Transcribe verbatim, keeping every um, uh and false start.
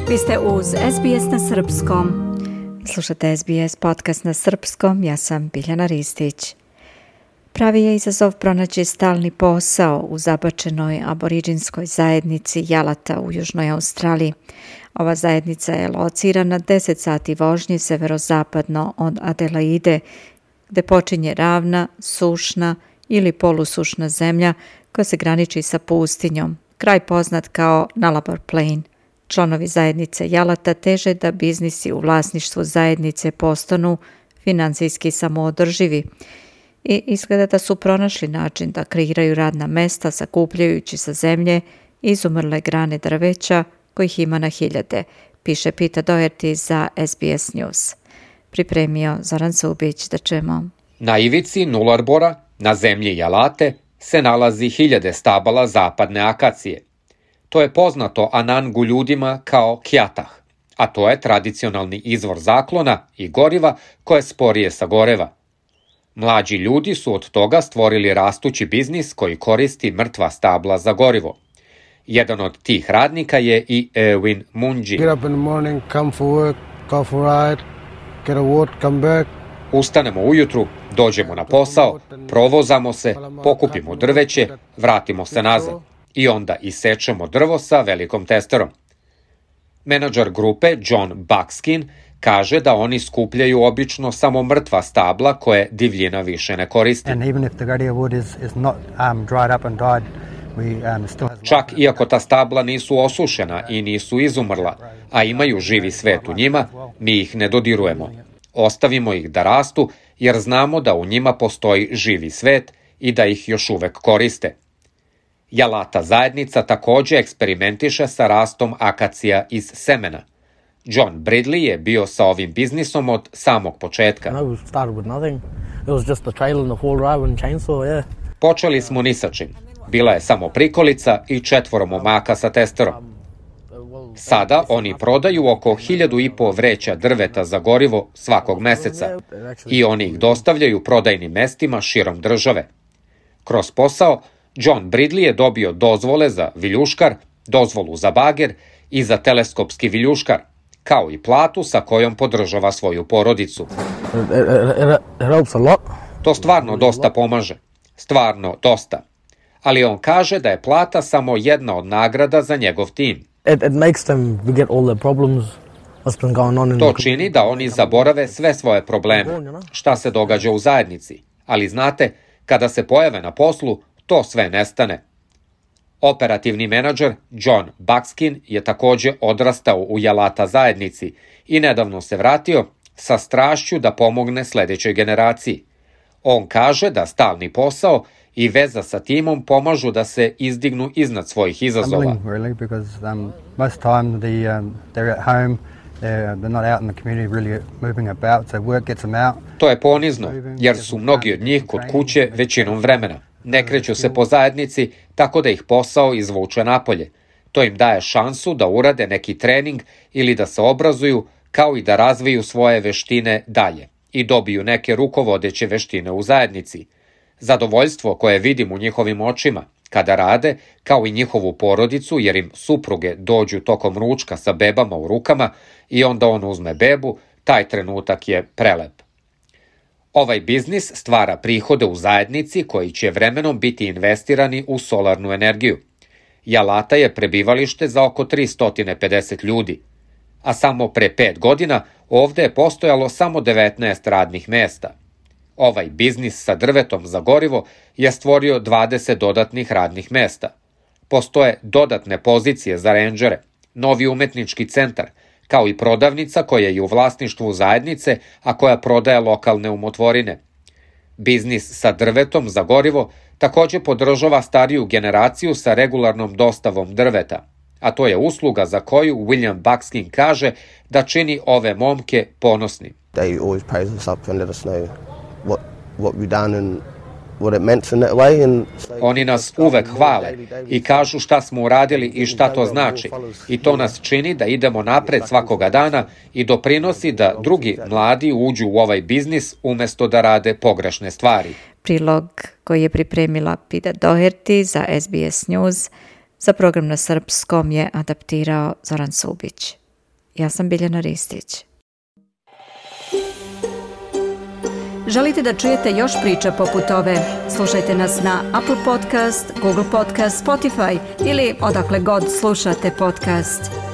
Vi ste uz S B S na srpskom. Slušate S B S podcast na srpskom, ja sam Biljana Ristić. Pravi je izazov pronaći stalni posao u zabačenoj aboriđinskoj zajednici Jalata u Južnoj Australiji. Ova zajednica je locirana deset sati vožnje severozapadno od Adelaide, gde počinje ravna, sušna ili polusušna zemlja koja se graniči sa pustinjom, kraj poznat kao Nullarbor Plain. Članovi zajednice Jalata teže da biznisi u vlasništvu zajednice postanu finansijski samoodrživi i izgleda da su pronašli način da kreiraju radna mesta sakupljajući sa zemlje izumrle grane drveća kojih ima na hiljade, piše Peter Doherty za S B S News. Pripremio Zoran Subić, da čujemo. Na ivici Nullarbora, na zemlji Jalate, se nalazi hiljade stabala zapadne akacije. To je poznato Anangu ljudima kao kjatah, a to je tradicionalni izvor zaklona i goriva koje sporije sagoreva. Mlađi ljudi su od toga stvorili rastući biznis koji koristi mrtva stabla za gorivo. Jedan od tih radnika je i Erwin Munji. Get up in the morning, come for work, go for a ride, get a walk, come back. Ustanemo ujutru, dođemo na posao, provozamo se, pokupimo drveće, vratimo se nazad i onda isečemo drvo sa velikom testerom. Menadžer grupe John Buckskin kaže da oni skupljaju obično samo mrtva stabla koje divljina više ne koristi. Čak iako ta stabla nisu osušena i nisu izumrla, a imaju živi svet u njima, mi ih ne dodirujemo. Ostavimo ih da rastu jer znamo da u njima postoji živi svet i da ih još uvek koriste. Jalata zajednica također eksperimentiše sa rastom akacija iz semena. John Bridley je bio sa ovim biznisom od samog početka. Počeli smo ni sa čim. Bila je samo prikolica i četvoro momaka sa testerom. Sada oni prodaju oko hiljadu i po vreća drveta za gorivo svakog meseca i oni ih dostavljaju prodajnim mestima širom države. Kroz posao, John Bridley je dobio dozvole za viljuškar, dozvolu za bager i za teleskopski viljuškar, kao i platu sa kojom podržava svoju porodicu. To stvarno dosta pomaže. Stvarno dosta. Ali on kaže da je plata samo jedna od nagrada za njegov tim. To čini da oni zaborave sve svoje probleme, šta se događa u zajednici. Ali znate, kada se pojave na poslu, to sve nestane. Operativni menadžer John Buckskin je također odrastao u Jalata zajednici i nedavno se vratio sa strašću da pomogne sljedećoj generaciji. On kaže da stalni posao i veza sa timom pomažu da se izdignu iznad svojih izazova. To je ponizno, jer su mnogi od njih kod kuće većinom vremena. Ne kreću se po zajednici, tako da ih posao izvuče napolje. To im daje šansu da urade neki trening ili da se obrazuju, kao i da razviju svoje veštine dalje i dobiju neke rukovodeće veštine u zajednici. Zadovoljstvo koje vidim u njihovim očima kada rade, kao i njihovu porodicu, jer im supruge dođu tokom ručka sa bebama u rukama i onda on uzme bebu, taj trenutak je prelep. Ovaj biznis stvara prihode u zajednici koji će vremenom biti investirani u solarnu energiju. Jalata je prebivalište za oko tristo pedeset ljudi, a samo pre pet godina ovde je postojalo samo devetnaest radnih mesta. Ovaj biznis sa drvetom za gorivo je stvorio dvadeset dodatnih radnih mesta. Postoje dodatne pozicije za rendžere, novi umetnički centar, kao i prodavnica koja je u vlasništvu zajednice, a koja prodaje lokalne umotvorine. Biznis sa drvetom za gorivo također podržava stariju generaciju sa regularnom dostavom drveta, a to je usluga za koju William Buckskin kaže da čini ove momke ponosni. They always praise us up and let us know what what we've done and what it meant in that way and Oni nas uvek hvale i kažu šta smo uradili i šta to znači. I to nas čini da idemo napred svakoga dana i doprinosi da drugi mladi uđu u ovaj biznis umesto da rade pogrešne stvari. Prilog koji je pripremila Peter Doherty za S B S News za program na srpskom je adaptirao Zoran Subić. Ja sam Biljana Ristić. Želite da čujete još priča poput ove? Slušajte nas na Apple Podcast, Google Podcast, Spotify ili odakle god slušate podcast.